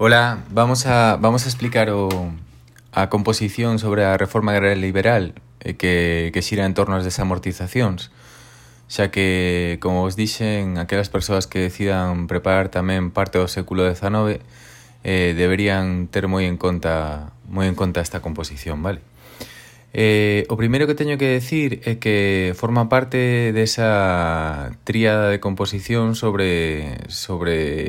Ola, vamos a explicar a composición sobre a reforma agraria liberal que xira en torno ás desamortizacións, xa que, como vos dixen, aquelas persoas que decidan preparar tamén parte do século XIX deberían ter moi en conta esta composición, vale? O primeiro que teño que decir é que forma parte desa tríada de composición sobre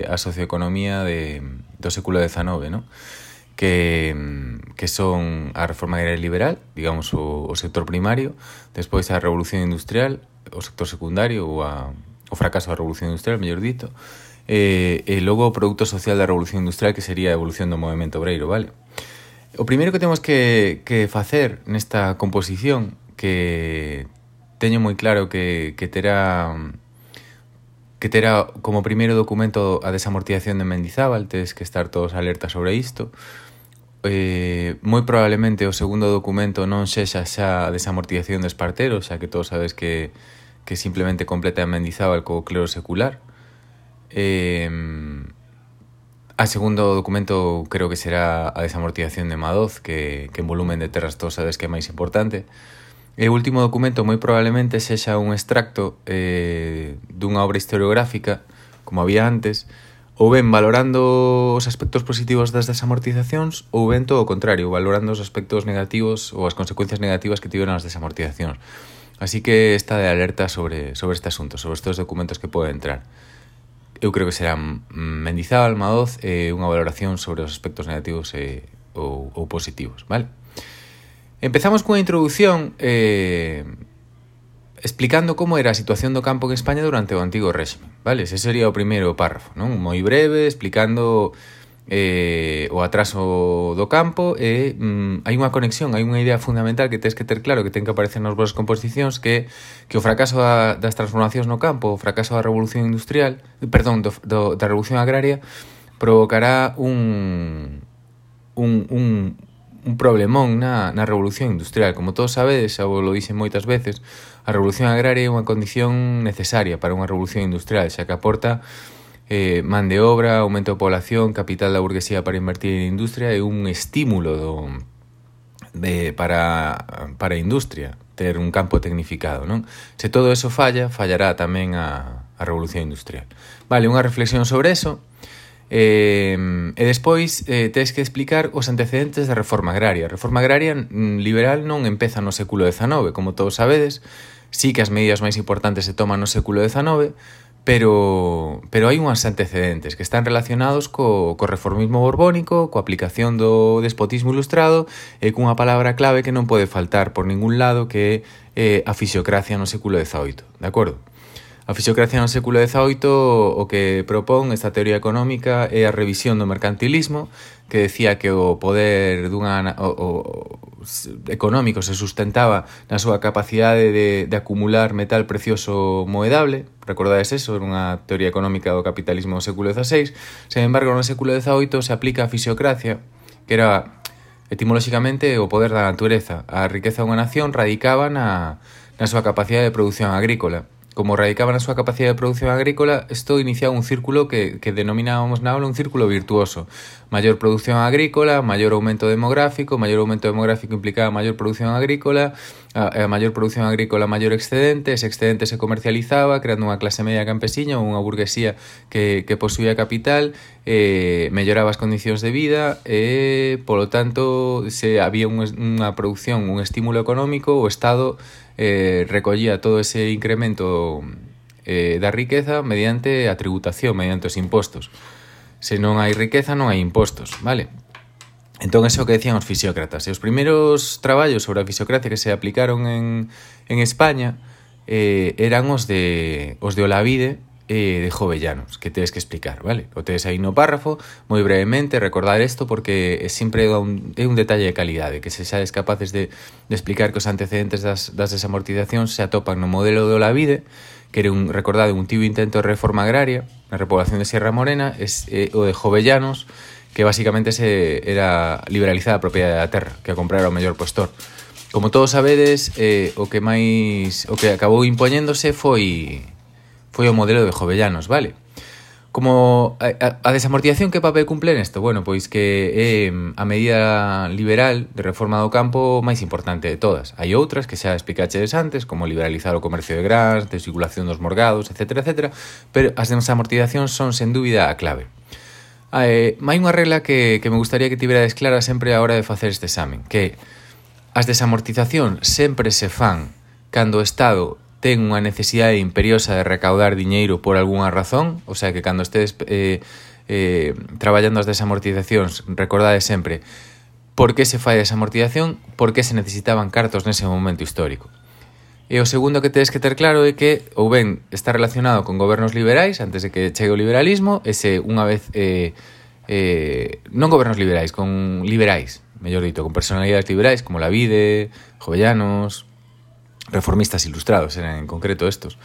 a socioeconomía do século XIX, ¿no? Que son a reforma agraria liberal, digamos o sector primario, despois a revolución industrial, o sector secundario ou o fracaso da revolución industrial, mellor dito, e logo o produto social da revolución industrial, que sería a evolución do movemento obreiro, vale? O primeiro que temos que facer nesta composición, que teño moi claro que terá como primeiro documento a desamortización de Mendizábal, tedes que estar todos alertas sobre isto. Moi probablemente o segundo documento non sexa xa a desamortización de Espartero, xa que todos sabedes que simplemente completa a Mendizábal co clero secular. A segundo documento creo que será a desamortización de Madoz, que en volumen de terras todos sabes que é máis importante. E o último documento moi probablemente sexa un extracto dunha obra historiográfica, como había antes, ou ben valorando os aspectos positivos das desamortizacións, ou ben todo o contrario, valorando os aspectos negativos ou as consecuencias negativas que tiveron as desamortizacións. Así que está de alerta sobre este asunto, sobre estes documentos que poden entrar. Eu creo que serán Mendizábal, Madoz e unha valoración sobre os aspectos negativos ou positivos, vale? Empezamos cunha introducción explicando como era a situación do campo en España durante o antigo réxime, vale? Ese sería o primeiro párrafo, non? Moi breve, explicando o atraso do campo e hai unha conexión, hai unha idea fundamental que tens que ter claro, que ten que aparecer nas vosas composicións, que o fracaso das transformacións no campo, o fracaso da revolución industrial, da revolución agraria, provocará un problemón na revolución industrial. Como todos sabedes, xa vos lo dixen moitas veces, a revolución agraria é unha condición necesaria para unha revolución industrial, xa que aporta man de obra, aumento de población, capital da burguesía para invertir en industria e un estímulo para a industria, ter un campo tecnificado, non? Se todo eso fallará tamén a revolución industrial. Vale, unha reflexión sobre eso. E despois tens que explicar os antecedentes da reforma agraria. A reforma agraria liberal non empeza no século XIX, como todos sabedes. Sí que as medidas máis importantes se toman no século XIX, pero hai unhas antecedentes que están relacionados co reformismo borbónico, coa aplicación do despotismo ilustrado e cunha palabra clave que non pode faltar por ningún lado, que é a fisiocracia no século XVIII, de acordo? A fisiocracia no século XVIII o que propón esta teoría económica é a revisión do mercantilismo, que decía que o poder económico se sustentaba na súa capacidade de acumular metal precioso moedable. Recordades eso, era unha teoría económica do capitalismo do século XVI. Sen embargo, no século XVIII se aplica a fisiocracia, que era etimolóxicamente o poder da natureza. A riqueza dunha nación radicaba na súa capacidade de produción agrícola. Como radicaba na súa capacidade de produción agrícola, isto iniciaba un círculo que denominábamos na aula un círculo virtuoso. Maior produción agrícola, maior aumento demográfico implicaba maior produción agrícola, a maior produción agrícola, maior excedente, ese excedente se comercializaba, creando unha clase media campesiña ou unha burguesía que posuía capital, melloraba as condicións de vida e, polo tanto, se había unha produción, un estímulo económico, o Estado recollía todo ese incremento da riqueza mediante a tributación, mediante os impostos. Se non hai riqueza, non hai impostos, vale? Entón, eso que decían os fisiócratas. E os primeiros traballos sobre a fisiocracia que se aplicaron en España eran os de Olavide de Jovellanos, que tedes que explicar, vale? O tedes aí no párrafo, moi brevemente, recordar isto porque sempre é un detalle de calidade, que se xades capaces de explicar que os antecedentes das desamortizacións se atopan no modelo de Olavide, que era un tío intento de reforma agraria na repoblación de Sierra Morena, o de Jovellanos, que basicamente era liberalizar a propiedade da terra, que a comprar ao mellor postor. Como todos sabedes, o que acabou impoñéndose foi o modelo de Jovellanos, vale? Como a desamortización que papel cumpre nesto? Bueno, pois que é a medida liberal de reforma do campo máis importante de todas. Hai outras que xa explicaches antes, como liberalizar o comercio de grans, desvinculación dos morgados, etc. Pero as desamortizacións son, sen dúbida, a clave. Hai unha regla que me gustaría que tiverades clara sempre a hora de facer este examen, que as desamortizacións sempre se fan cando o Estado ten unha necesidade imperiosa de recaudar diñeiro por algunha razón, o sea que cando estedes traballando as desamortizacións, recordade sempre por que se fai a desamortización, por que se necesitaban cartos nese momento histórico. E o segundo que tedes que ter claro é que ou ben está relacionado con gobernos liberais antes de que chegue o liberalismo, ese unha vez non gobernos liberais, con liberais, mellor dito, con personalidades liberais como Lavide, Jovellanos, reformistas ilustrados eran en concreto estos.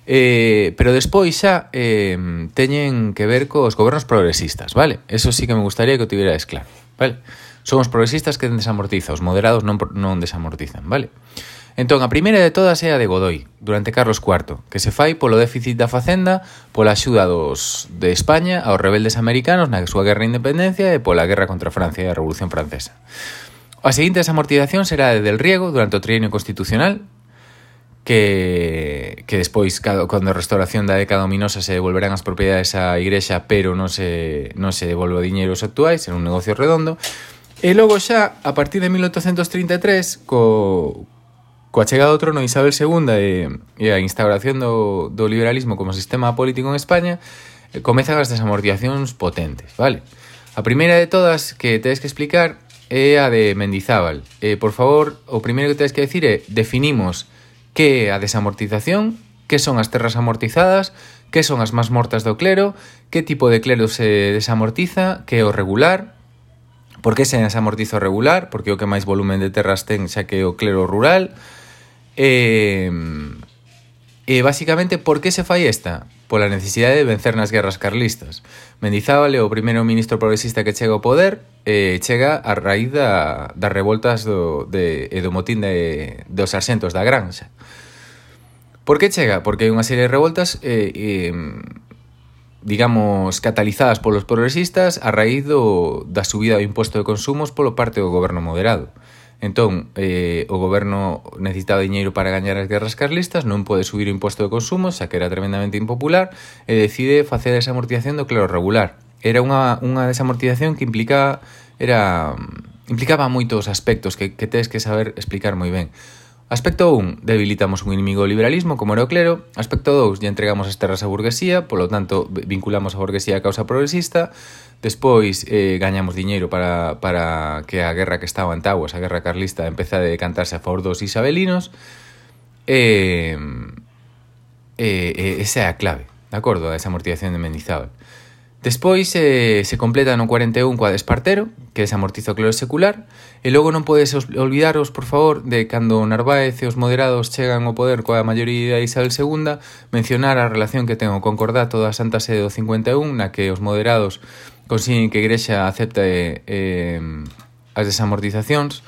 Pero despois xa teñen que ver cos gobernos progresistas, vale? Eso sí que me gustaría que o tiverades claro, vale? Son os progresistas que desamortizan, os moderados non desamortizan, vale? Entón, a primeira de todas é a de Godoy, durante Carlos IV, que se fai polo déficit da facenda, pola axuda de España aos rebeldes americanos na súa guerra de independencia e pola guerra contra Francia e a Revolución Francesa. A seguinte desamortización será a de Del Riego durante o trienio constitucional, que despois, cando a restauración da década ominosa, se devolverán as propiedades á Igrexa, pero non se devolve o diñeiro aos actuais, era un negocio redondo. E logo xa, a partir de 1833, coa chegada do trono de Isabel II e a instauración do liberalismo como sistema político en España, comezan as desamortizacións potentes, vale? A primeira de todas que tedes que explicar é a de Mendizábal. Por favor, o primeiro que tedes que decir é definimos que é a desamortización, que son as terras amortizadas, que son as más mortas do clero, que tipo de clero se desamortiza, que é o regular, por que se desamortiza o regular, porque é o que máis volumen de terras ten, xa que é o clero rural. Basicamente, por que se fai esta? Pola necesidade de vencer nas guerras carlistas. Mendizábal é o primeiro ministro progresista que chega ao poder, chega a raíz das revoltas do motín dos sarxentos da Granxa. Por que chega? Porque hai unha serie de revoltas digamos, catalizadas polos progresistas a raíz da subida do imposto de consumos polo parte do goberno moderado. Entón, o goberno necesitaba diñeiro para gañar as guerras carlistas, non pode subir o imposto de consumo, xa que era tremendamente impopular, e decide facer esa amortización do clero regular. Era unha desamortización que implicaba moitos aspectos que tedes que saber explicar moi ben. Aspecto 1, debilitamos un inimigo do liberalismo, como era o clero. Aspecto 2, lle entregamos as terras á burguesía, polo tanto, vinculamos a burguesía á causa progresista. Despois, gañamos diñeiro para que a guerra que estaba en Taguas, a guerra carlista, empece a decantarse a favor dos isabelinos. Esa é a clave, de acordo, a desamortización de Mendizábal. Despois se completa no 41 coa de Espartero, que desamortiza o clero secular, e logo non podes olvidaros, por favor, de cando Narváez e os moderados chegan ao poder coa maioría de Isabel II, mencionar a relación que ten o concordato da Santa Sede do 51, na que os moderados consiguen que a Igrexa acepte as desamortizacións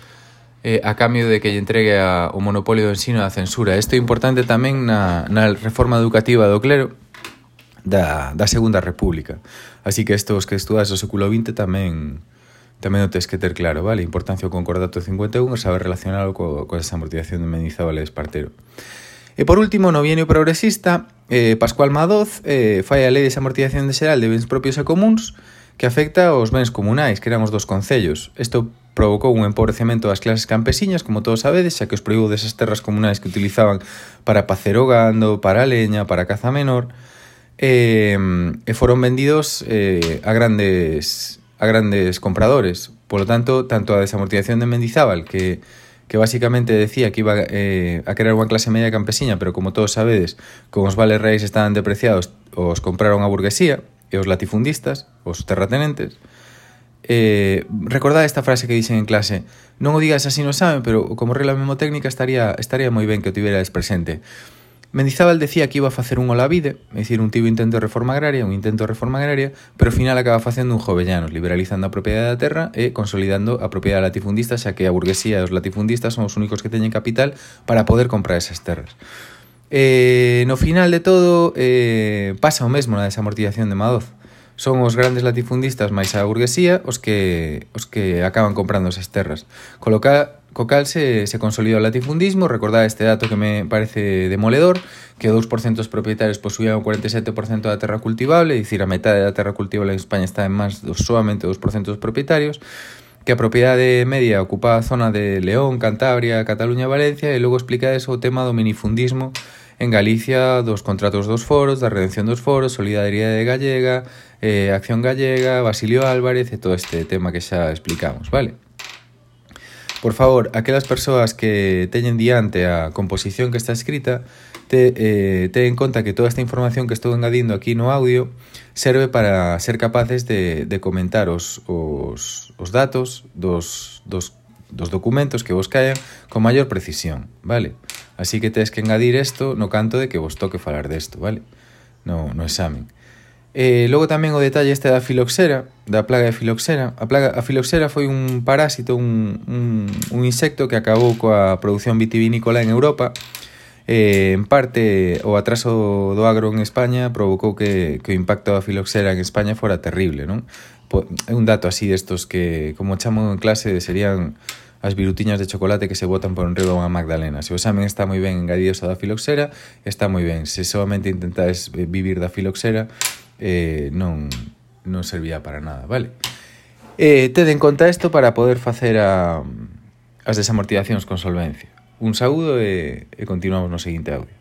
a cambio de que lle entregue o monopolio do ensino da censura. Isto é importante tamén na reforma educativa do clero da Segunda República. Así que estos que estudas o século XX tamén o tens que ter claro, vale? A importancia do concordato 51 e saber relacionalo coa desamortización de Mendizábal e Espartero. E por último, no bienio progresista, Pascual Madoz fai a lei de desamortización xeral de bens propios e comuns que afecta aos bens comunais, que eran os dos concellos. Isto provocou un empobrecemento das clases campesiñas, como todos sabedes, xa que os prohibou desas terras comunais que utilizaban para pacer o gando, para a leña, para a caza menor, e foron vendidos a grandes compradores. Por lo tanto a desamortización de Mendizábal, que basicamente decía que iba a crear unha clase media campesiña, pero como todos sabedes, como os vales reais estaban depreciados, os compraron a burguesía e os latifundistas, os terratenentes. Recordad esta frase que dixen en clase: non o digas así no examen, pero como regla memotécnica estaría moi ben que o tiveras presente. Mendizábal decía que iba a facer un Olavide, é dicir, un intento de reforma agraria, pero ao final acaba facendo un Jovellanos, liberalizando a propiedade da terra e consolidando a propiedade latifundista, xa que a burguesía e os latifundistas son os únicos que teñen capital para poder comprar esas terras. No final de todo, pasa o mesmo na desamortización de Madoz. Son os grandes latifundistas máis a burguesía os que acaban comprando esas terras. Co cal se consolida o latifundismo. Recordad este dato que me parece demoledor, que 2% dos propietarios posuían o 47% da terra cultivable, é dicir, a metade da terra cultivable en España está en máis solamente 2% dos propietarios, que a propiedade media ocupa a zona de León, Cantabria, Cataluña, Valencia, e logo explica eso o tema do minifundismo en Galicia, dos contratos dos foros, da redención dos foros, Solidariedade Gallega, Acción Gallega, Basilio Álvarez e todo este tema que xa explicamos, vale? Por favor, aquelas persoas que teñen diante a composición que está escrita, ten en conta que toda esta información que estou engadindo aquí no audio serve para ser capaces de comentar os datos dos documentos que vos caen con maior precisión, vale? Así que tedes que engadir isto no canto de que vos toque falar desto, vale? No examen. Logo tamén o detalle este da filoxera, da plaga de filoxera. A filoxera foi un parásito, un insecto que acabou coa produción vitivinícola en Europa. En parte, o atraso do agro en España provocou que o impacto da filoxera en España fora terrible, non? É un dato así destos que, como chamo en clase, serían as virutiñas de chocolate que se botan por enriba unha magdalena. Se o examen está moi ben engadido da filoxera, está moi ben. Se solamente intentades vivir da filoxera, non servía para nada, vale? Ted en conta isto para poder facer as desamortizacións con solvencia. Un saúdo e continuamos no seguinte audio.